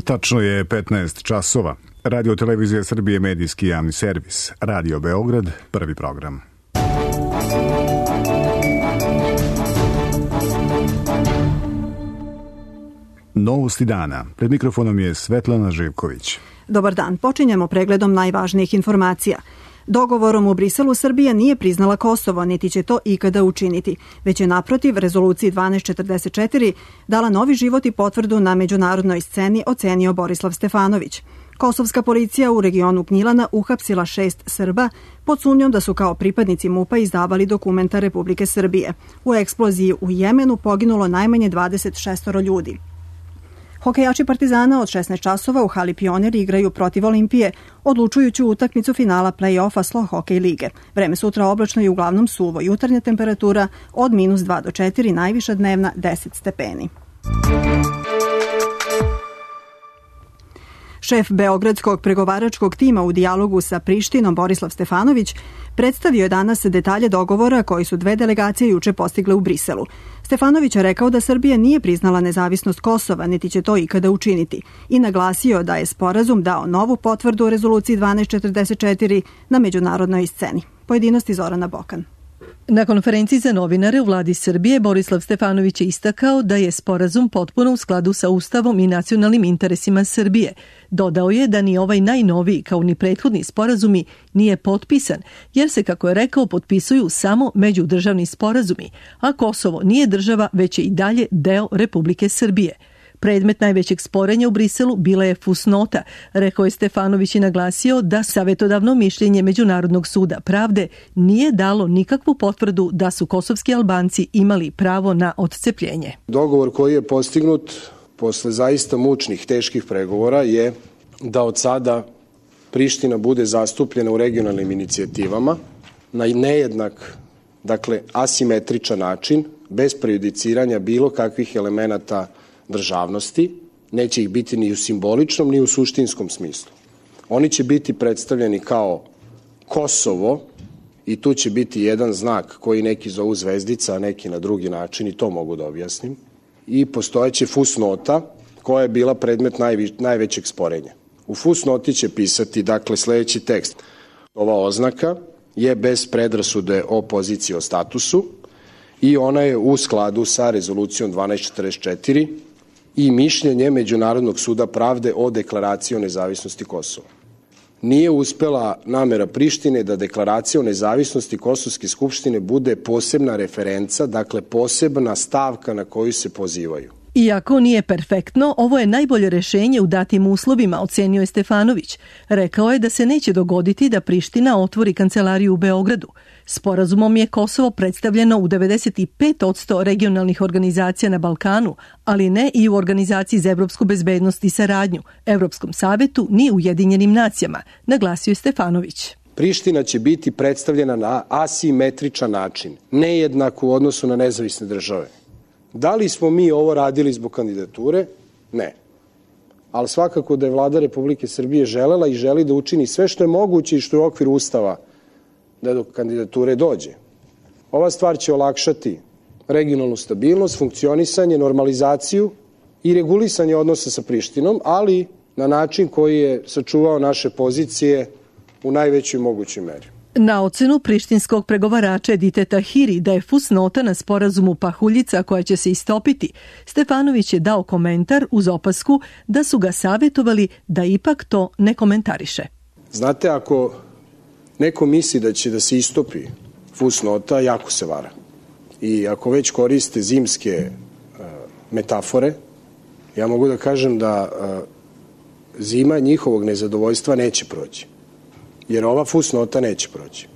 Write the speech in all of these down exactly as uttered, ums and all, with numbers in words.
Tačno je petnaest časova. Radio Televizija Srbije, medijski javni servis. Radio Beograd, prvi program. Novosti dana. Pred mikrofonom je Svetlana Živković. Dobar dan. Počinjemo pregledom najvažnijih informacija. Dogovorom u Briselu Srbija nije priznala Kosovo, niti će to ikada učiniti, već je naprotiv rezoluciji dvanaest četrdeset četiri dala novi život i potvrdu na međunarodnoj sceni, ocenio Borislav Stefanović. Kosovska policija u regionu Gnjilana uhapsila šest Srba pod sumnjom da su kao pripadnici MUP-a izdavali dokumenta Republike Srbije. U eksploziji u Jemenu poginulo najmanje dvadeset šest ljudi. Hokejači Partizana od šesnaest časova u hali Pionir igraju protiv Olimpije, odlučujuću utakmicu finala play-offa Slo Hokej lige. Vreme sutra oblačno i uglavnom suvo, jutarnja temperatura od minus dva do četiri, najviša dnevna deset stepeni. Šef beogradskog pregovaračkog tima u dijalogu sa Prištinom Borislav Stefanović predstavio je danas detalje dogovora koji su dve delegacije juče postigle u Briselu. Stefanović je rekao da Srbija nije priznala nezavisnost Kosova, niti će to ikada učiniti, i naglasio da je sporazum dao novu potvrdu o rezoluciji dvanaest četrdeset četiri na međunarodnoj sceni. Pojedinosti Zorana Bokan. Na konferenciji za novinare u vladi Srbije Borislav Stefanović je istakao da je sporazum potpuno u skladu sa Ustavom i nacionalnim interesima Srbije. Dodao je da ni ovaj najnoviji kao ni prethodni sporazumi nije potpisan, jer se, kako je rekao, potpisuju samo međudržavni sporazumi, a Kosovo nije država, već je i dalje deo Republike Srbije. Predmet najvećeg sporenja u Briselu bila je fusnota, rekao je Stefanović i naglasio da savjetodavno mišljenje Međunarodnog suda pravde nije dalo nikakvu potvrdu da su kosovski Albanci imali pravo na odcepljenje. Dogovor koji je postignut posle zaista mučnih, teških pregovora je da od sada Priština bude zastupljena u regionalnim inicijativama na nejednak, dakle asimetričan način, bez prejudiciranja bilo kakvih elemenata državnosti, neće ih biti ni u simboličnom ni u suštinskom smislu. Oni će biti predstavljeni kao Kosovo i tu će biti jedan znak koji neki zovu zvezdica, a neki na drugi način, i to mogu da objasnim. I postojeće fusnota koja je bila predmet najvi, najvećeg sporenja. U fusnoti će pisati, dakle, sledeći tekst. Ova oznaka je bez predrasude o poziciji o statusu i ona je u skladu sa rezolucijom dvanaest četrdeset četiri i mišljenje Međunarodnog suda pravde o deklaraciji o nezavisnosti Kosova. Nije uspela namera Prištine da deklaracija o nezavisnosti Kosovske skupštine bude posebna referenca, dakle posebna stavka na koju se pozivaju. Iako nije perfektno, ovo je najbolje rešenje u datim uslovima, ocenio je Stefanović. Rekao je da se neće dogoditi da Priština otvori kancelariju u Beogradu. Sporazumom je Kosovo predstavljeno u devedeset pet posto regionalnih organizacija na Balkanu, ali ne i u Organizaciji za evropsku bezbednost i saradnju, Evropskom savetu ni Ujedinjenim nacijama, naglasio je Stefanović. Priština će biti predstavljena na asimetričan način, nejednak u odnosu na nezavisne države. Da li smo mi ovo radili zbog kandidature? Ne. Ali svakako da je vlada Republike Srbije želela i želi da učini sve što je moguće i što je u okviru Ustava da do kandidature dođe. Ova stvar će olakšati regionalnu stabilnost, funkcionisanje, normalizaciju i regulisanje odnosa sa Prištinom, ali na način koji je sačuvao naše pozicije u najvećoj mogućoj meri. Na ocenu prištinskog pregovarača Edite Tahiri da je fusnota na sporazumu pahuljica koja će se istopiti, Stefanović je dao komentar uz opasku da su ga savjetovali da ipak to ne komentariše. Znate, ako neko misli da će da se istopi fusnota, jako se vara. I ako već koriste zimske uh, metafore, ja mogu da kažem da uh, zima njihovog nezadovoljstva neće proći. Jer ova fusnota neće proći.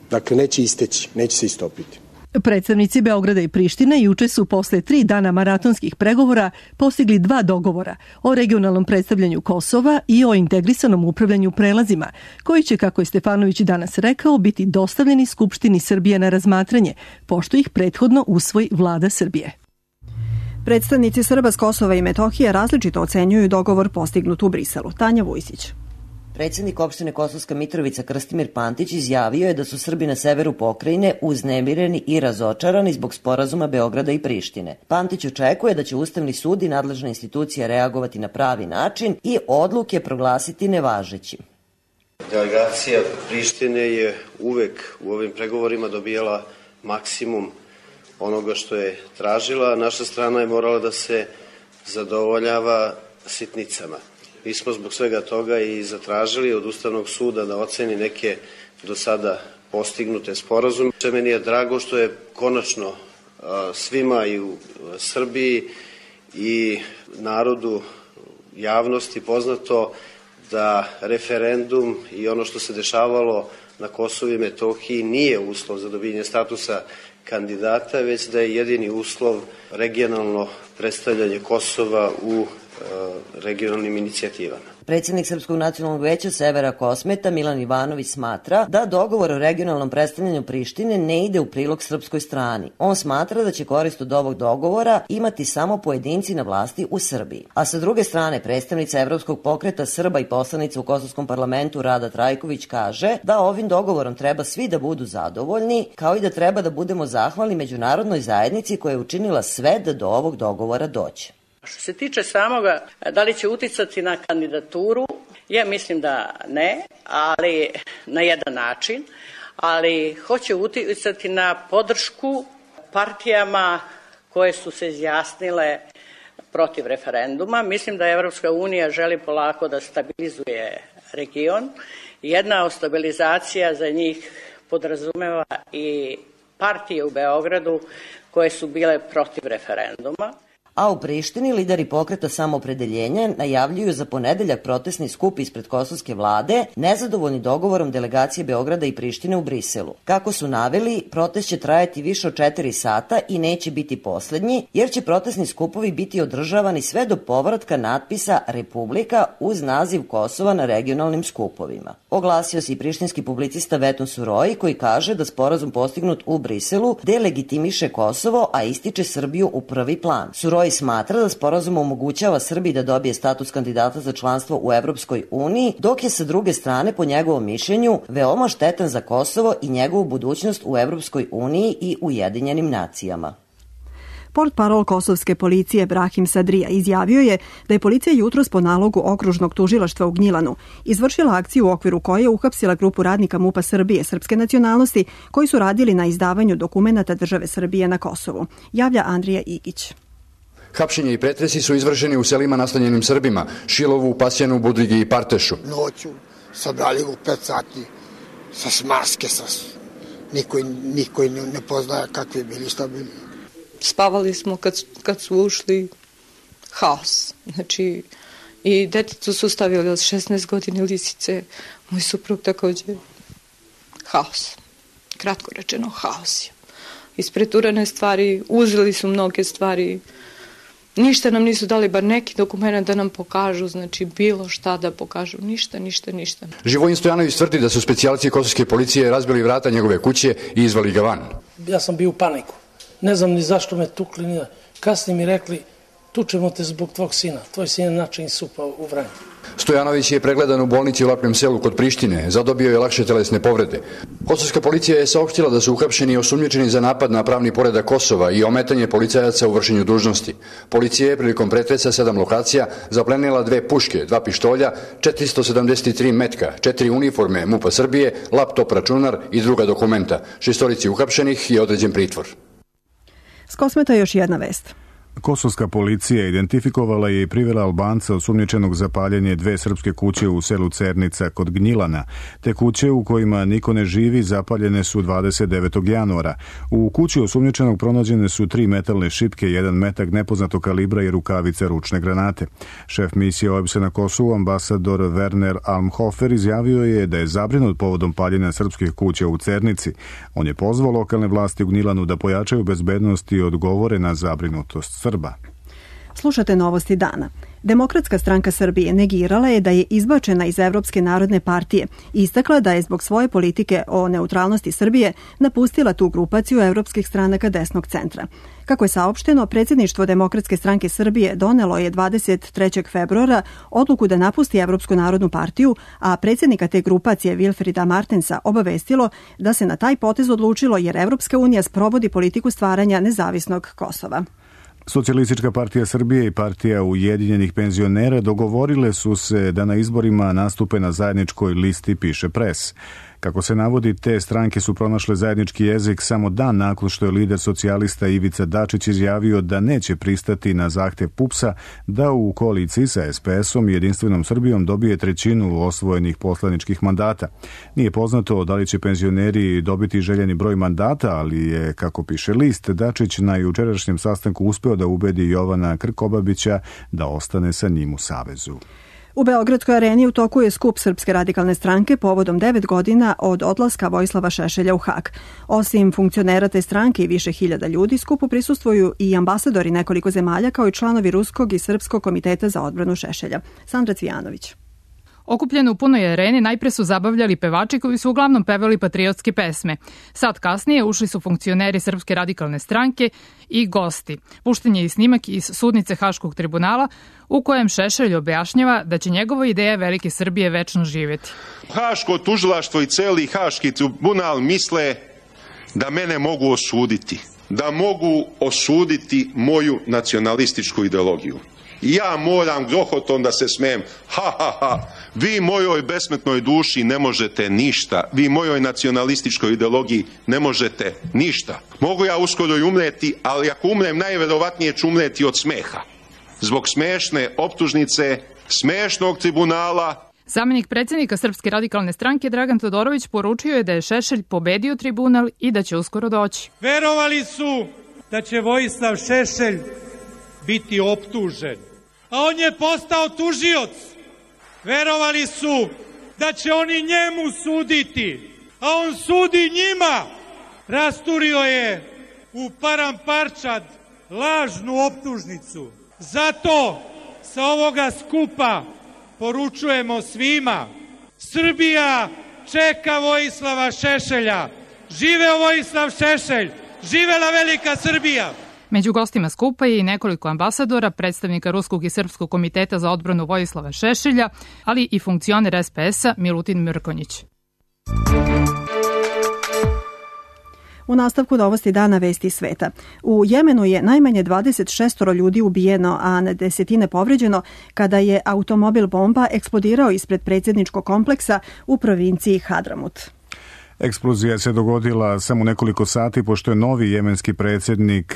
Dakle, neće isteći, neće se istopiti. Predstavnici Beograda i Prištine juče su posle tri dana maratonskih pregovora postigli dva dogovora o regionalnom predstavljanju Kosova i o integrisanom upravljanju prelazima, koji će, kako je Stefanović danas rekao, biti dostavljeni Skupštini Srbije na razmatranje, pošto ih prethodno usvoji vlada Srbije. Predstavnici Srba s Kosova i Metohije različito ocenjuju dogovor postignut u Briselu. Tanja Vujsić. Predsjednik opštine Kosovska Mitrovica Krstimir Pantić izjavio je da su Srbi na severu pokrajine uznemireni i razočarani zbog sporazuma Beograda i Prištine. Pantić očekuje da će Ustavni sud i nadležna institucija reagovati na pravi način i odluke proglasiti nevažećim. Delegacija Prištine je uvek u ovim pregovorima dobijala maksimum onoga što je tražila. Naša strana je morala da se zadovoljava sitnicama. Mi smo zbog svega toga i zatražili od Ustavnog suda da oceni neke do sada postignute sporazume. Meni je drago što je konačno svima i u Srbiji i narodu javnosti poznato da referendum i ono što se dešavalo na Kosovu i Metohiji nije uslov za dobijanje statusa kandidata, već da je jedini uslov regionalno predstavljanje Kosova u regionalnim inicijativama. Predsjednik Srpskog nacionalnog veća Severa Kosmeta Milan Ivanović smatra da dogovor o regionalnom predstavljanju Prištine ne ide u prilog srpskoj strani. On smatra da će korist od ovog dogovora imati samo pojedinci na vlasti u Srbiji. A sa druge strane, predstavnica Evropskog pokreta Srba i poslanica u Kosovskom parlamentu Rada Trajković kaže da ovim dogovorom treba svi da budu zadovoljni, kao i da treba da budemo zahvalni međunarodnoj zajednici koja je učinila sve da do ovog dogovora dođe. Što se tiče samoga, da li će uticati na kandidaturu, ja mislim da ne, ali na jedan način, ali hoće uticati na podršku partijama koje su se izjasnile protiv referenduma. Mislim da Evropska unija želi polako da stabilizuje region. Jedna od stabilizacija za njih podrazumeva i partije u Beogradu koje su bile protiv referenduma. A u Prištini lideri pokreta Samoopredeljenja najavljuju za ponedeljak protestni skup ispred kosovske vlade, nezadovoljni dogovorom delegacije Beograda i Prištine u Briselu. Kako su naveli, protest će trajati više od četiri sata i neće biti poslednji, jer će protestni skupovi biti održavani sve do povratka natpisa Republika uz naziv Kosova na regionalnim skupovima. Oglasio se i prištinski publicista Veton Suroji, koji kaže da sporazum postignut u Briselu delegitimiše Kosovo, a ističe Srbiju u prvi plan. Suroji smatra da sporazum omogućava Srbiji da dobije status kandidata za članstvo u Evropskoj uniji, dok je sa druge strane, po njegovom mišljenju, veoma štetan za Kosovo i njegovu budućnost u Evropskoj uniji i Ujedinjenim nacijama. Portparol kosovske policije Brahim Sadrija izjavio je da je policija jutros po nalogu okružnog tužilaštva u Gnjilanu izvršila akciju u okviru koje je uhapsila grupu radnika MUP-a Srbije srpske nacionalnosti koji su radili na izdavanju dokumenata države Srbije na Kosovu, javlja Andrija Igić. Hapšenje i pretresi su izvršeni u selima nastanjenim Srbima, Šilovu, Pasjanu, Budrigi i Partešu. Noću sabrali u pet sati sa smaske, sa... niko, niko ne, ne poznaje kakvi bili, šta bili. Spavali smo kad, kad su ušli, haos. Znači, i deticu su stavili od šesnaest godine lisice, moj suprug takođe. Haos. Kratko rečeno, haos je. Ispreturane stvari, uzeli su mnoge stvari. Ništa nam nisu dali, bar neki dokument da nam pokažu, znači bilo šta da pokažu, ništa, ništa, ništa. Živojin Stojanović tvrdi da su specijalci kosovske policije razbili vrata njegove kuće i izvali ga van. Ja sam bio u paniku, ne znam ni zašto me tukli, ni... kasnije mi rekli, tučemo te zbog tvog sina, tvoj sin je način supa u Vranju. Stojanović je pregledan u bolnici u Lapnjem selu kod Prištine, zadobio je lakše telesne povrede. Kosovska policija je saopštila da su uhapšeni i osumnjičeni za napad na pravni poredak Kosova i ometanje policajaca u vršenju dužnosti. Policija je prilikom pretresa sedam lokacija zaplenila dve puške, dva pištolja, četiristo sedamdeset tri metka, četiri uniforme MUP-a Srbije, laptop, računar i druga dokumenta. Šestorici uhapšenih je određen pritvor. S Kosmeta još jedna vest. Kosovska policija identifikovala je i privela Albanca osumnjičenog za paljenje dve srpske kuće u selu Cernica kod Gnjilana. Te kuće u kojima niko ne živi zapaljene su dvadeset devetog januara. U kući osumnjičenog pronađene su tri metalne šipke, jedan metak nepoznatog kalibra i rukavice ručne granate. Šef misije O E B S-a na Kosovu, ambasador Werner Almhofer, izjavio je da je zabrinut povodom paljenja srpskih kuća u Cernici. On je pozvao lokalne vlasti u Gnjilanu da pojačaju bezbednost i odgovore na zabrinutost Srba. Slušate novosti dana. Demokratska stranka Srbije negirala je da je izbačena iz Evropske narodne partije i istakla da je zbog svoje politike o neutralnosti Srbije napustila tu grupaciju evropskih stranaka desnog centra. Kako je saopšteno, predsjedništvo Demokratske stranke Srbije donelo je dvadeset trećeg februara odluku da napusti Evropsku narodnu partiju, a predsjednika te grupacije Wilfrida Martensa obavestilo da se na taj potez odlučilo jer Evropska unija sprovodi politiku stvaranja nezavisnog Kosova. Socijalistička partija Srbije i partija Ujedinjenih penzionera dogovorile su se da na izborima nastupe na zajedničkoj listi, piše Pres. Kako se navodi, te stranke su pronašle zajednički jezik samo dan nakon što je lider socijalista Ivica Dačić izjavio da neće pristati na zahtev PUPS-a da u koaliciji sa es pe esom i Jedinstvenom Srbijom dobije trećinu osvojenih poslaničkih mandata. Nije poznato da li će penzioneri dobiti željeni broj mandata, ali je, kako piše list, Dačić na jučerašnjem sastanku uspeo da ubedi Jovana Krkobabića da ostane sa njim u savezu. U Beogradskoj areni u toku je skup Srpske radikalne stranke povodom devet godina od odlaska Vojislava Šešelja u Hag. Osim funkcionera te stranke i više hiljada ljudi, skupu prisustvuju i ambasadori nekoliko zemalja kao i članovi Ruskog i Srpskog komiteta za odbranu Šešelja. Sandra Cvijanović. Okupljeni u punoj areni najpre su zabavljali pevači koji su uglavnom pevali patriotske pesme. Sad kasnije ušli su funkcioneri Srpske radikalne stranke i gosti. Pušten je i snimak iz sudnice Haškog tribunala u kojem Šešelj objašnjava da će njegova ideja velike Srbije večno živjeti. Haško tužilaštvo i celi Haški tribunal misle da mene mogu osuditi, da mogu osuditi moju nacionalističku ideologiju. I ja moram grohotom da se smijem. Ha, ha, ha. Vi mojoj besmetnoj duši ne možete ništa. Vi mojoj nacionalističkoj ideologiji ne možete ništa. Mogu ja uskoro i umreti, ali ako umrem, najverovatnije ću umreti od smeha. Zbog smešne optužnice, smešnog tribunala. Zamenik predsjednika Srpske radikalne stranke Dragan Todorović poručio je da je Šešelj pobedio tribunal i da će uskoro doći. Verovali su da će Vojislav Šešelj biti optužen, a on je postao tužioc. Verovali su da će oni njemu suditi, a on sudi njima. Rasturio je u paramparčad lažnu optužnicu. Zato sa ovoga skupa poručujemo svima: Srbija čeka Vojislava Šešelja. Živeo Vojislav Šešelj, živela velika Srbija. Među gostima skupa je i nekoliko ambasadora, predstavnika Ruskog i Srpskog komiteta za odbranu Vojislava Šešelja, ali i funkcioner es pe esa Milutin Mrkonjić. U nastavku novosti dana vesti sveta. U Jemenu je najmanje dvadeset šest ljudi ubijeno, a na desetine povređeno kada je automobil bomba eksplodirao ispred predsjedničkog kompleksa u provinciji Hadramut. Eksplozija se dogodila samo nekoliko sati pošto je novi jemenski predsjednik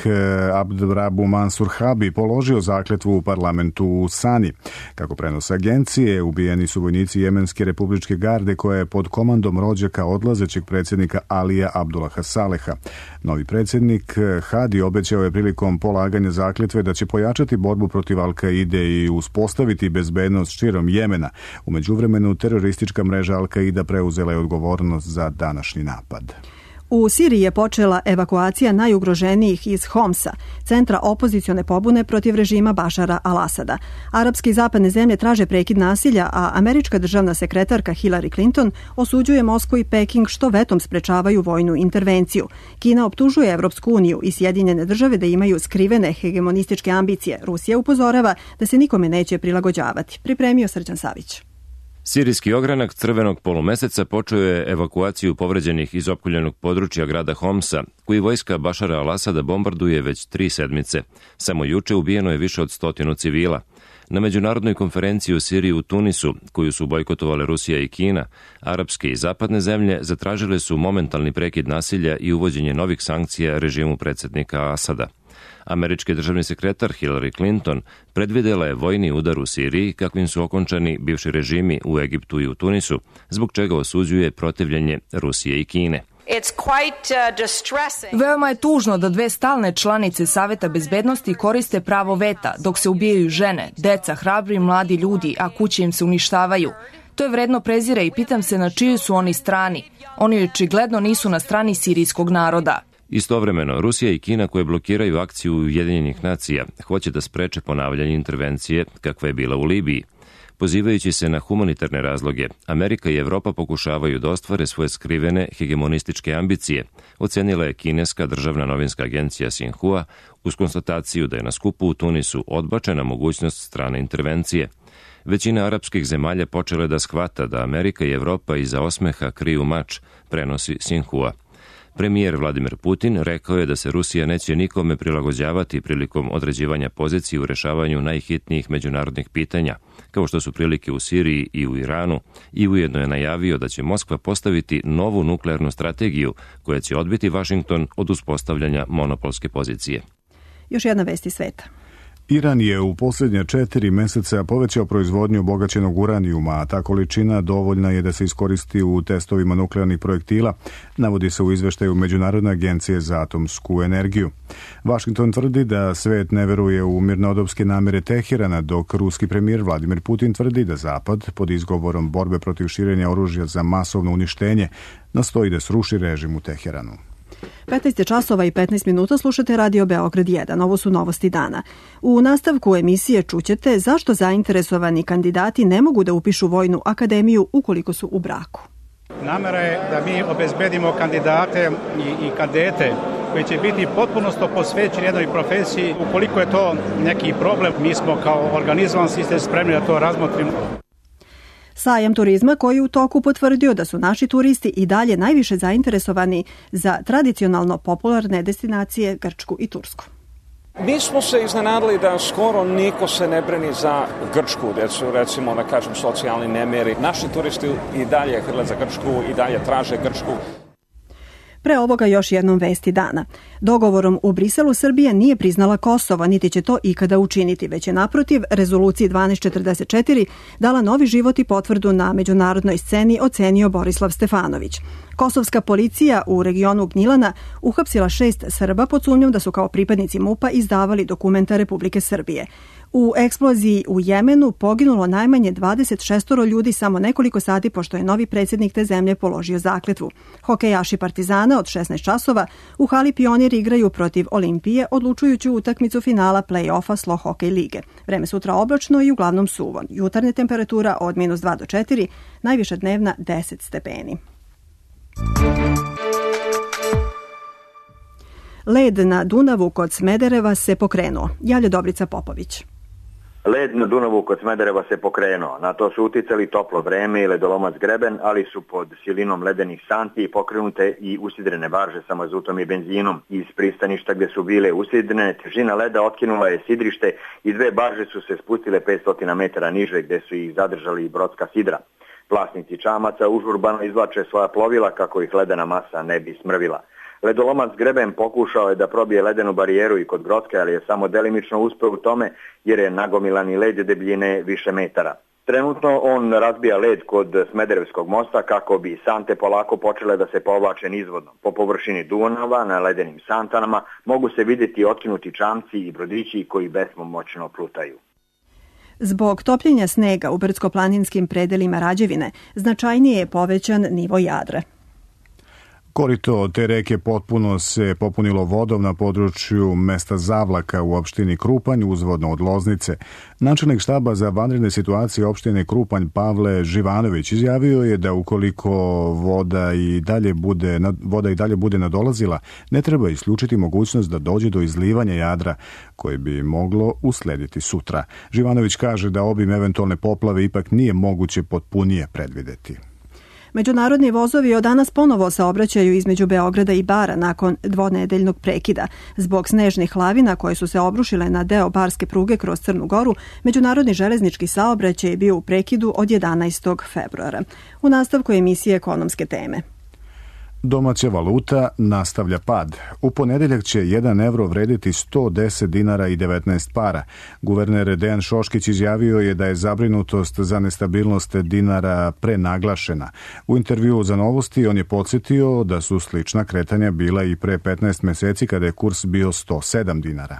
Abdrabu Mansur Habi položio zakletvu u parlamentu u Sani. Kako prenose agencije, ubijeni su vojnici Jemenske republičke garde koja je pod komandom rođaka odlazećeg predsjednika Alija Abdullaha Saleha. Novi predsjednik Hadi obećao je prilikom polaganja zakletve da će pojačati borbu protiv Al-Kaide i uspostaviti bezbednost širom Jemena. U međuvremenu teroristička mreža Al-Kaida preuzela je odgovornost za dan. Današnji napad. U Siriji je počela evakuacija najugroženijih iz Homsa, centra opozicione pobune protiv režima Bašara al-Asada. Arapske i zapadne zemlje traže prekid nasilja, a američka državna sekretarka Hillary Clinton osuđuje Moskvu i Peking što vetom sprečavaju vojnu intervenciju. Kina optužuje Evropsku uniju i Sjedinjene države da imaju skrivene hegemonističke ambicije. Rusija upozorava da se nikome neće prilagođavati. Pripremio Srđan Savić. Sirijski ogranak crvenog polumeseca počeo je evakuaciju povređenih iz opkoljenog područja grada Homsa, koji vojska Bašara al-Asada bombarduje već tri sedmice. Samo juče ubijeno je više od stotinu civila. Na međunarodnoj konferenciji u Siriji u Tunisu, koju su bojkotovale Rusija i Kina, arapske i zapadne zemlje zatražile su momentalni prekid nasilja i uvođenje novih sankcija režimu predsjednika Asada. Američki državni sekretar Hillary Clinton predvidela je vojni udar u Siriji kakvim su okončani bivši režimi u Egiptu i u Tunisu, zbog čega osuđuje protivljenje Rusije i Kine. Veoma je tužno da dve stalne članice Saveta bezbednosti koriste pravo veta dok se ubijaju žene, deca, hrabri mladi ljudi, a kuće im se uništavaju. To je vredno prezira i pitam se na čijoj su oni strani. Oni očigledno nisu na strani sirijskog naroda. Istovremeno, Rusija i Kina koje blokiraju akciju Ujedinjenih nacija hoće da spreče ponavljanje intervencije kakva je bila u Libiji. Pozivajući se na humanitarne razloge, Amerika i Evropa pokušavaju da ostvare svoje skrivene hegemonističke ambicije, ocenila je kineska državna novinska agencija Xinhua uz konstataciju da je na skupu u Tunisu odbačena mogućnost strane intervencije. Većina arapskih zemalja počela da shvata da Amerika i Evropa iza osmeha kriju mač, prenosi Xinhua. Premijer Vladimir Putin rekao je da se Rusija neće nikome prilagođavati prilikom određivanja pozicije u rešavanju najhitnijih međunarodnih pitanja, kao što su prilike u Siriji i u Iranu, i ujedno je najavio da će Moskva postaviti novu nuklearnu strategiju koja će odbiti Vašington od uspostavljanja monopolske pozicije. Još jedna vest iz sveta. Iran je u posljednje četiri meseca povećao proizvodnju obogaćenog uranijuma, a ta količina dovoljna je da se iskoristi u testovima nuklearnih projektila, navodi se u izveštaju Međunarodne agencije za atomsku energiju. Vašington tvrdi da svet ne veruje u mirnodopske namere Teherana, dok ruski premijer Vladimir Putin tvrdi da Zapad, pod izgovorom borbe protiv širenja oružja za masovno uništenje, nastoji da sruši režim u Teheranu. petnaest časova i petnaest minuta slušate Radio Beograd jedan. Ovo su novosti dana. U nastavku emisije čućete zašto zainteresovani kandidati ne mogu da upišu vojnu akademiju ukoliko su u braku. Namera je da mi obezbedimo kandidate i, i kadete koji će biti potpuno posvećeni jednoj profesiji. Ukoliko je to neki problem, mi smo kao organizovan sistem spremni da to razmotrimo. Sajam turizma koji je u toku potvrdio da su naši turisti i dalje najviše zainteresovani za tradicionalno popularne destinacije Grčku i Tursku. Mi smo se iznenadili da skoro niko se ne brani za Grčku, recimo da kažem socijalni nemiri. Naši turisti i dalje hrle za Grčku i dalje traže Grčku. Pre ovoga još jednom vesti dana. Dogovorom u Briselu Srbija nije priznala Kosovo, niti će to ikada učiniti, već je naprotiv rezoluciji dvanaest četrdeset četiri dala novi život i potvrdu na međunarodnoj sceni, ocenio Borislav Stefanović. Kosovska policija u regionu Gnjilana uhapsila šest Srba pod sumnjom da su kao pripadnici MUP-a izdavali dokumenta Republike Srbije. U eksploziji u Jemenu poginulo najmanje dvadeset šest ljudi samo nekoliko sati pošto je novi predsjednik te zemlje položio zakletvu. Hokejaši Partizana od šesnaest časova u hali Pionir igraju protiv Olimpije odlučujuću utakmicu finala play-offa Slo Hokej lige. Vreme sutra oblačno i uglavnom suvo. Jutarnja temperatura od minus dva do četiri, najviša dnevna deset stepeni. Led na Dunavu kod Smedereva se pokrenuo. Javlja Dobrica Popović. Led na Dunavu kod Smedereva se pokrenuo. Na to su uticali toplo vreme i ledolomac greben, ali su pod silinom ledenih santi pokrenute i usidrene barže sa mazutom i benzinom. Iz pristaništa gdje su bile usidrene, težina leda otkinula je sidrište i dve barže su se spustile petsto metara niže gdje su ih zadržali brodska sidra. Vlasnici čamaca užurbano izvlače svoja plovila kako ih ledena masa ne bi smrvila. Ledolomac greben pokušao je da probije ledenu barijeru i kod Grocke, ali je samo delimično uspeo u tome jer je nagomilani led debljine više metara. Trenutno on razbija led kod Smederevskog mosta kako bi sante polako počele da se povlače nizvodno. Po površini Dunava na ledenim santanama mogu se vidjeti otkinuti čamci i brodići koji bespomoćno plutaju. Zbog topljenja snega u brdsko-planinskim predelima Rađevine značajnije je povećan nivo Jadra. Korito te reke potpuno se popunilo vodom na području mesta Zavlaka u opštini Krupanj, uzvodno od Loznice. Načelnik štaba za vanredne situacije opštine Krupanj Pavle Živanović izjavio je da ukoliko voda i dalje bude, voda i dalje bude nadolazila, ne treba isključiti mogućnost da dođe do izlivanja Jadra, koje bi moglo uslediti sutra. Živanović kaže da obim eventualne poplave ipak nije moguće potpunije predvideti. Međunarodni vozovi od danas ponovo saobraćaju između Beograda i Bara nakon dvonedeljnog prekida. Zbog snežnih lavina koje su se obrušile na deo barske pruge kroz Crnu Goru, međunarodni železnički saobraćaj je bio u prekidu od jedanaestog februara. U nastavku emisije Ekonomske teme. Domaća valuta nastavlja pad. U ponedeljak će jedan evro vrediti sto deset dinara i devetnaest para. Guverner Dejan Šoškić izjavio je da je zabrinutost za nestabilnost dinara prenaglašena. U intervjuu za Novosti on je podsjetio da su slična kretanja bila i pre petnaest meseci kada je kurs bio sto sedam dinara.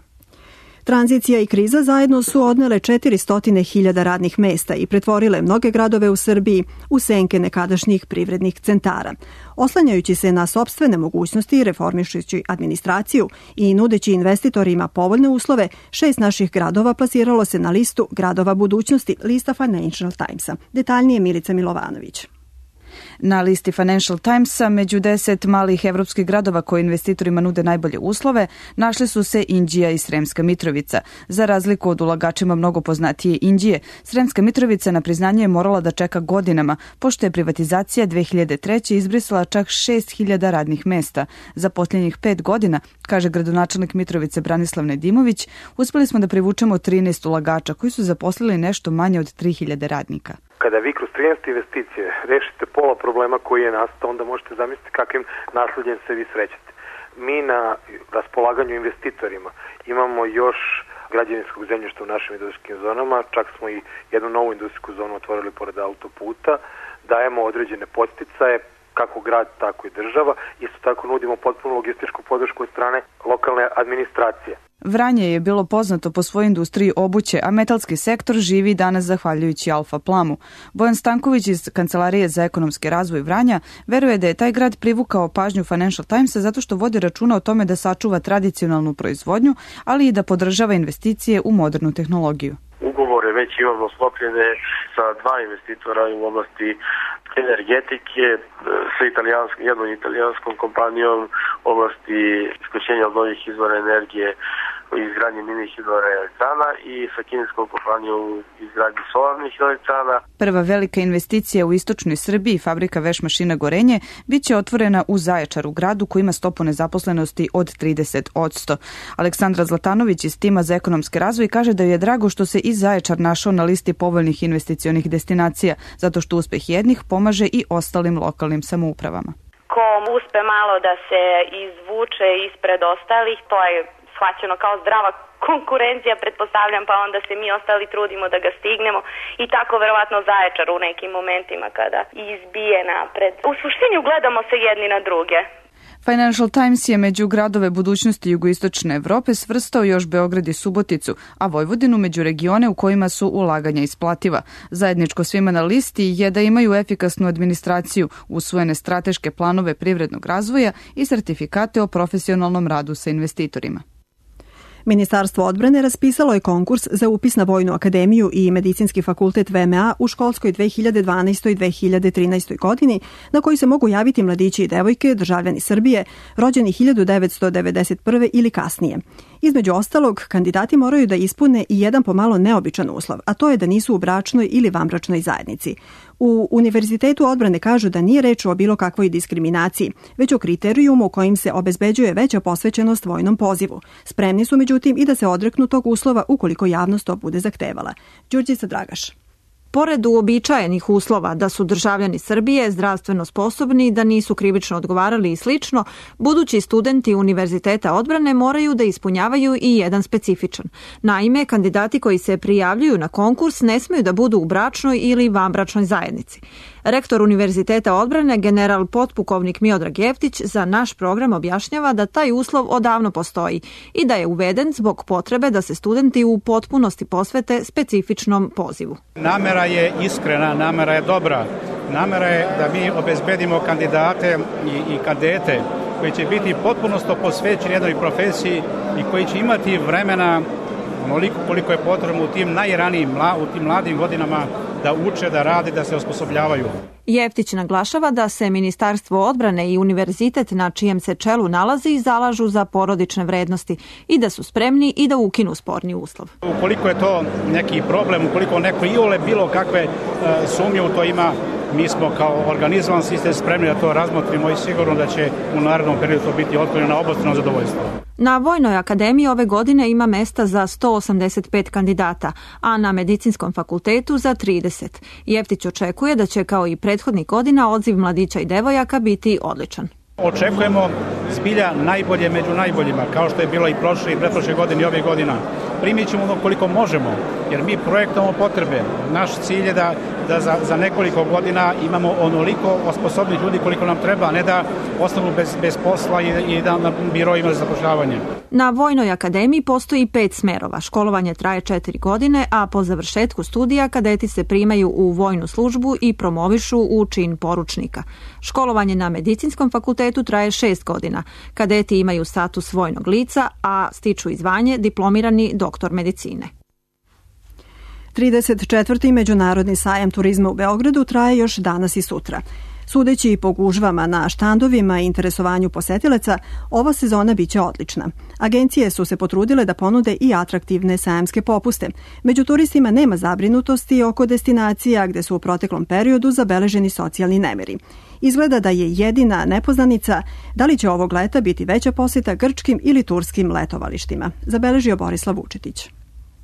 Tranzicija i kriza zajedno su odnele četiristo hiljada radnih mesta i pretvorile mnoge gradove u Srbiji u senke nekadašnjih privrednih centara. Oslanjajući se na sopstvene mogućnosti, reformišući administraciju i nudeći investitorima povoljne uslove, šest naših gradova plasiralo se na listu gradova budućnosti, lista Financial Timesa. Detaljnije Milica Milovanović. Na listi Financial Timesa među deset malih evropskih gradova koji investitorima nude najbolje uslove našli su se Inđija i Sremska Mitrovica. Za razliku od ulagačima mnogo poznatije Inđije, Sremska Mitrovica na priznanje je morala da čeka godinama, pošto je privatizacija dve hiljade treće. izbrisala čak šest hiljada radnih mesta. Za posljednjih pet godina, kaže gradonačelnik Mitrovice Branislav Nedimović, uspeli smo da privučemo trinaest ulagača koji su zaposlili nešto manje od tri hiljade radnika. Kada vi kroz trinaest investicije rešite pola problema koji je nastao, onda možete zamisliti kakvim nasledjem se vi srećete. Mi na raspolaganju investitorima imamo još građevinskog zemljišta u našim industrijskim zonama, čak smo i jednu novu industrijsku zonu otvorili pored autoputa, dajemo određene podsticaje, kako grad, tako i država. Isto tako nudimo potpuno logističku podršku od strane lokalne administracije. Vranje je bilo poznato po svojoj industriji obuće, a metalski sektor živi danas zahvaljujući Alfa Plamu. Bojan Stanković iz Kancelarije za ekonomski razvoj Vranja veruje da je taj grad privukao pažnju Financial Timesa zato što vodi računa o tome da sačuva tradicionalnu proizvodnju, ali i da podržava investicije u modernu tehnologiju. Ugovore već imamo sklopljene sa dva investitora u oblasti energetike, sa italijansk, jednom italijanskom kompanijom u oblasti isključenja od novih izvora energije u izgradnji mini hidroelektrana i sa kineskom kompanijom u izgradnji solarnih elektrana. Prva velika investicija u istočnoj Srbiji, fabrika veš mašina Gorenje, bit će otvorena u Zaječaru, gradu koji ima stopu nezaposlenosti od trideset posto. Aleksandra Zlatanović iz tima za ekonomski razvoj kaže da je drago što se i Zaječar našao na listi povoljnih investicionih destinacija, zato što uspeh jednih pomaže i ostalim lokalnim samoupravama. Ko uspe malo da se izvuče ispred ostalih, to je shvaćeno kao zdrava konkurencija, pretpostavljam, pa onda se mi ostali trudimo da ga stignemo i tako verovatno Zaječar u nekim momentima kada izbije napred. U suštini ugledamo se jedni na druge. Financial Times je među gradove budućnosti jugoistočne Evrope svrstao još Beograd i Suboticu, a Vojvodinu među regione u kojima su ulaganja isplativa. Zajedničko svima na listi je da imaju efikasnu administraciju, usvojene strateške planove privrednog razvoja i sertifikate o profesionalnom radu sa investitorima. Ministarstvo odbrane raspisalo je konkurs za upis na Vojnu akademiju i Medicinski fakultet V M A u školskoj dve hiljade dvanaestoj dve hiljade trinaestoj godini, na koji se mogu javiti mladići i devojke, državljani Srbije, rođeni hiljadu devetsto devedeset prve ili kasnije. Između ostalog, kandidati moraju da ispune i jedan pomalo neobičan uslov, a to je da nisu u bračnoj ili vanbračnoj zajednici. U Univerzitetu odbrane kažu da nije reč o bilo kakvoj diskriminaciji, već o kriterijumu kojim se obezbeđuje veća posvećenost vojnom pozivu. Spremni su međutim i da se odreknu tog uslova ukoliko javnost to bude zahtevala. Đurđica Dragaš. Pored uobičajenih uslova da su državljani Srbije zdravstveno sposobni, da nisu krivično odgovarali i slično, budući studenti Univerziteta odbrane moraju da ispunjavaju i jedan specifičan. Naime, kandidati koji se prijavljuju na konkurs ne smeju da budu u bračnoj ili vanbračnoj zajednici. Rektor Univerziteta odbrane, general potpukovnik Miodrag Jeftić, za naš program objašnjava da taj uslov odavno postoji i da je uveden zbog potrebe da se studenti u potpunosti posvete specifičnom pozivu. Namera je iskrena, namera je dobra. Namera je da mi obezbedimo kandidate i, i kadete koji će biti potpuno posvećeni jednoj profesiji i koji će imati vremena onoliko koliko je potrebno u tim najranijim, u tim mladim godinama da uče, da rade, da se osposobljavaju. Jeftić naglašava da se Ministarstvo odbrane i univerzitet na čijem se čelu nalazi zalažu za porodične vrednosti i da su spremni i da ukinu sporni uslov. Ukoliko je to neki problem, ukoliko neko iole bilo kakve uh, sumnje u to ima, mi smo kao organizovan sistem spremni da to razmotrimo i sigurno da će u narednom periodu to biti otvoreno na obostrano zadovoljstvo. Na Vojnoj akademiji ove godine ima mesta za sto osamdeset pet kandidata, a na Medicinskom fakultetu za trideset. Jeftić očekuje da će kao i prethodnih godina odziv mladića i devojaka biti odličan. Očekujemo zbilja najbolje među najboljima, kao što je bilo i prošle i pretprošle godine i ove godina. Primit ćemo ono koliko možemo, jer mi projektamo potrebe. Naš cilj je da, da za, za nekoliko godina imamo onoliko osposobnih ljudi koliko nam treba, a ne da ostanu bez, bez posla i, i da na biroima za zapošljavanje. Na Vojnoj akademiji postoji pet smerova. Školovanje traje četiri godine, a po završetku studija kadeti se primaju u vojnu službu i promovišu u čin poručnika. Školovanje na Medicinskom fakultetu traje šest godina. Kadeti imaju status vojnog lica, a stiču i zvanje diplomirani doktor medicine. trideset četvrti Međunarodni sajam turizma u Beogradu traje još danas i sutra. Sudeći po gužvama na štandovima i interesovanju posetilaca, ova sezona biće odlična. Agencije su se potrudile da ponude i atraktivne sajamske popuste. Među turistima nema zabrinutosti oko destinacija gde su u proteklom periodu zabeleženi socijalni nemiri. Izgleda da je jedina nepoznanica da li će ovog leta biti veća poseta grčkim ili turskim letovalištima, zabeležio Borislav Vučetić.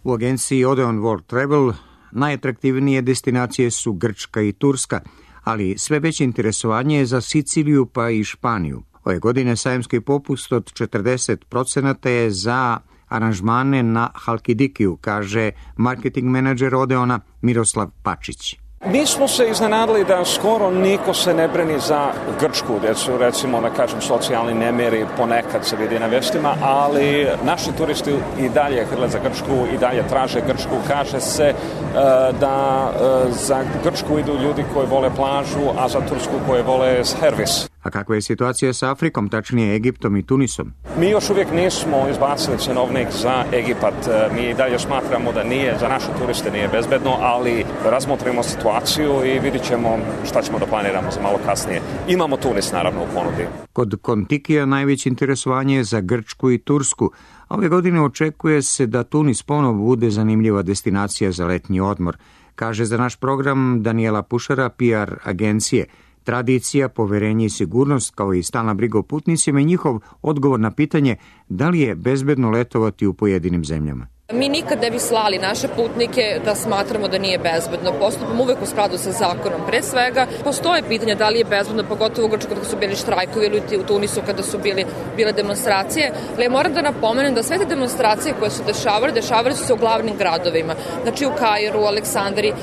U agenciji Odeon World Travel najatraktivnije destinacije su Grčka i Turska, ali sve veće interesovanje je za Siciliju pa i Španiju. Ove godine sajamski popust od četrdeset procenata je za aranžmane na Halkidikiju, kaže marketing menadžer Odeona Miroslav Pačić. Mi smo se iznenadili da skoro niko se ne brani za Grčku, gdje su recimo, da kažem, socijalni nemiri ponekad se vidi na vestima, ali naši turisti i dalje hrle za Grčku, i dalje traže Grčku. Kaže se uh, da uh, za Grčku idu ljudi koji vole plažu, a za Tursku koji vole servis. A kakva je situacija sa Afrikom, tačnije Egiptom i Tunisom? Mi još uvijek nismo izbacili cenovnik za Egipat. Mi dalje smatramo da nije, za naše turiste nije bezbedno, ali razmotrimo situaciju i vidit ćemo šta ćemo da planiramo za malo kasnije. Imamo Tunis naravno u ponudi. Kod Kontikija najveće interesovanje je za Grčku i Tursku. Ove godine očekuje se da Tunis ponovo bude zanimljiva destinacija za letnji odmor, kaže za naš program Daniela Pušara, P R agencije. Tradicija, poverenje i sigurnost, kao i stalna briga o putnicima i njihov odgovor na pitanje da li je bezbedno letovati u pojedinim zemljama. Mi nikad ne bi slali naše putnike da smatramo da nije bezbedno. Postupamo uvek u skladu sa zakonom. Pre svega, postoje pitanja da li je bezbedno, pogotovo u Grčkoj kada su bili štrajkovi ili u Tunisu kada su bili, bile demonstracije. Ali ja moram da napomenem da sve te demonstracije koje su dešavale, dešavale su se u glavnim gradovima. Znači u Kairu, u Aleksandriji,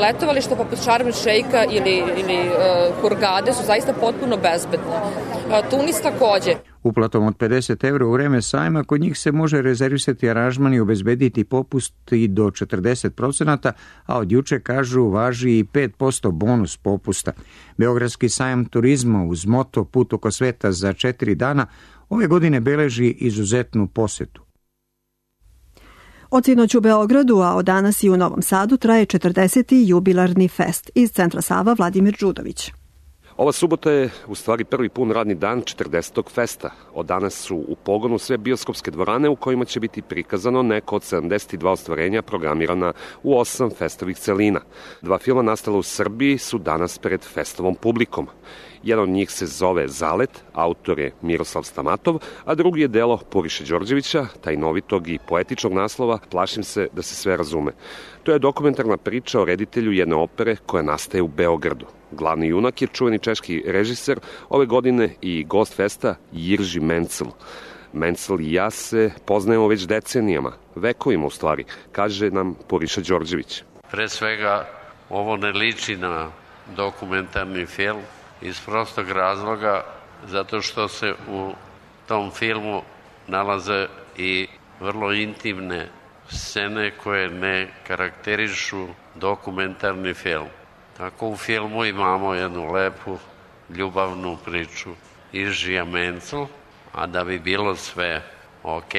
letovališta poput Šarm el Šeika ili, ili Hurgade su zaista potpuno bezbedne. Tunis takođe. Uplatom od pedeset evra u vreme sajma kod njih se može rezervisati aranžman i obezbediti popust i do četrdeset procenata, a od juče, kažu, važi i pet posto bonus popusta. Beogradski sajam turizma uz moto Put oko sveta za četiri dana ove godine beleži izuzetnu posetu. Od sinoć u Beogradu, a od danas i u Novom Sadu traje četrdeseti jubilarni fest. Iz Centra Sava Vladimir Đudović. Ova subota je u stvari prvi pun radni dan četrdesetog festa. Od danas su u pogonu sve bioskopske dvorane u kojima će biti prikazano neko od sedamdeset dva ostvarenja programirana u osam festovih celina. Dva filma nastala u Srbiji su danas pred festovom publikom. Jedan od njih se zove Zalet, autor je Miroslav Stamatov, a drugi je delo Puriše Đorđevića, tajnovitog i poetičnog naslova Plašim se da se sve razume. To je dokumentarna priča o reditelju jedne opere koja nastaje u Beogradu. Glavni junak je čuveni češki režiser ove godine i gost festa Jirži Mencel. Mencel i ja se poznajemo već decenijama, vekovima u stvari, kaže nam Puriša Đorđević. Pre svega, ovo ne liči na dokumentarni film iz prostog razloga zato što se u tom filmu nalaze i vrlo intimne scene koje ne karakterišu dokumentarni film. Tako u filmu imamo jednu lepu ljubavnu priču Iržija Mencel, a da bi bilo sve ok,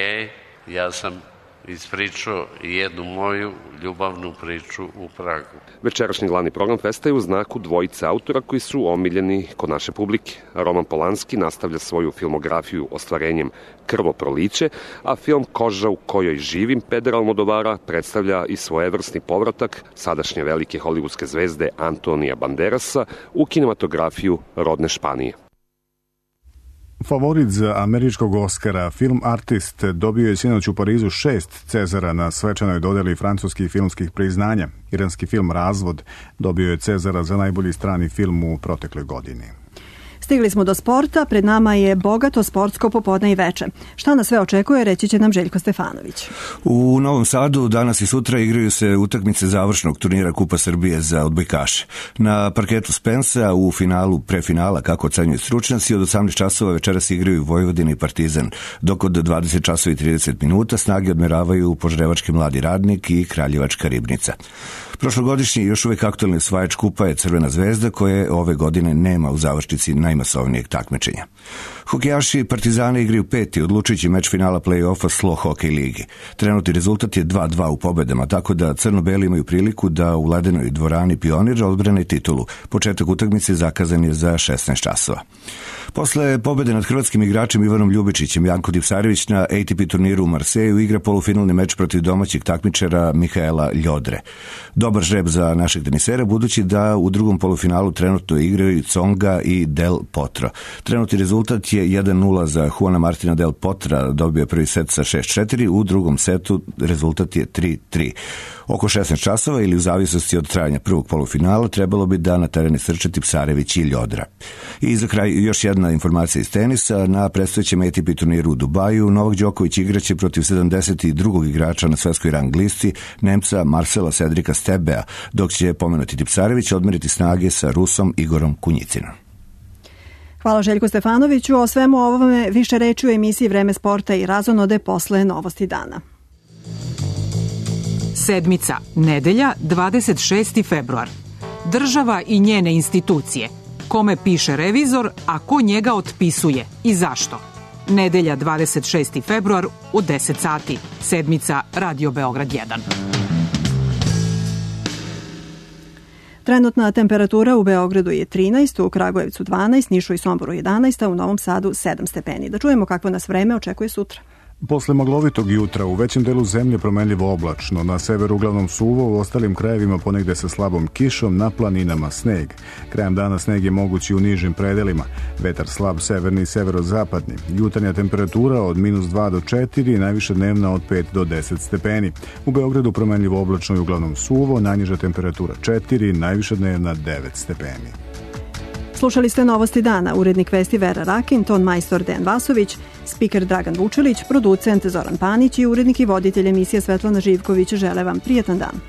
ja sam ispričao jednu moju ljubavnu priču u Pragu. Večerašnji glavni program festa je u znaku dvojice autora koji su omiljeni kod naše publike. Roman Polanski nastavlja svoju filmografiju ostvarenjem Krvoproliće, a film Koža u kojoj živim Pedra Almodovara predstavlja i svojevrsni povratak sadašnje velike hollywoodske zvezde Antonija Banderasa u kinematografiju rodne Španije. Favorit za američkog Oskara, film Artist, dobio je sinoć u Parizu šest Cezara na svečanoj dodeli francuskih filmskih priznanja. Iranski film Razvod dobio je Cezara za najbolji strani film u protekloj godini. Stigli smo do sporta, pred nama je bogato sportsko popodne i veče. Šta nas sve očekuje, reći će nam Željko Stefanović. U Novom Sadu danas i sutra igraju se utakmice završnog turnira Kupa Srbije za odbojkaše. Na parketu Spensa u finalu prefinala, kako ocenjuju stručnjaci, od osamnaest časova večeras igraju Vojvodina i Partizan, dok od dvadeset časova i trideset minuta snage odmeravaju Požarevački Mladi Radnik i Kraljevačka Ribnica. Prošlogodišnji još uvek aktualni osvajač kupa je Crvena zvezda, koje ove godine nema u završnici najmasovnijeg takmičenja. Hokejaši Partizana igraju peti odlučujući meč finala play-offa Slo Hokej ligi. Trenutni rezultat je dva dva u pobedama, tako da crno-beli imaju priliku da u ledenoj dvorani Pionir odbrane titulu. Početak utakmice zakazan je za šesnaest časova. Posle pobede nad hrvatskim igračem Ivanom Ljubičićem, Janko Dipsarević na A T P turniru u Marseju igra polufinalni meč protiv domaćeg takmičara Mihaela Ljodre. Dobar žreb za našeg tenisera, budući da u drugom polufinalu trenutno igraju Tsonga i Del Potro. Trenutni rezultat je jedan nula za Juana Martina Del Potra, dobio prvi set sa šest četiri, u drugom setu rezultat je tri tri. Oko šesnaest časova ili u zavisnosti od trajanja prvog polufinala trebalo bi da na tereni srče Tipsarević i Ljodra. I za kraj još jedna informacija iz tenisa. Na predstojećem A T P turniru u Dubaju Novak Đoković igraće protiv sedamdeset drugog igrača na svetskoj rang listi, Nemca Marcela Cedrika Stebea, dok će pomenuti Tipsarević odmeriti snage sa Rusom Igorom Kunjicinom. Hvala Željku Stefanoviću. O svemu ovome više reči u emisiji Vreme sporta i razonode posle Novosti dana. Sedmica, nedelja, dvadeset šesti februar. Država i njene institucije. Kome piše revizor, a ko njega otpisuje i zašto? Nedelja, dvadeset šesti februar u deset sati. Sedmica, Radio Beograd jedan. Trenutna temperatura u Beogradu je trinaest, u Kragujevcu dvanaest, Nišu i Somboru jedanaest, a u Novom Sadu sedam stepeni. Da čujemo kakvo nas vreme očekuje sutra. Posle maglovitog jutra u većem delu zemlje promenljivo oblačno, na severu uglavnom suvo, u ostalim krajevima ponegde sa slabom kišom, na planinama sneg. Krajem dana sneg je mogući u nižim predelima, vetar slab severni i severozapadni. Jutarnja temperatura od minus dva do četiri, najviša dnevna od pet do deset stepeni. U Beogradu promenljivo oblačno i uglavnom suvo, najniža temperatura četiri, najviša dnevna devet stepeni. Slušali ste Novosti dana, urednik vesti Vera Rakin, ton majstor Dejan Vasović, spiker Dragan Vučelić, producent Zoran Panić i urednik i voditelj emisije Svetlana Živković. Žele vam prijetan dan.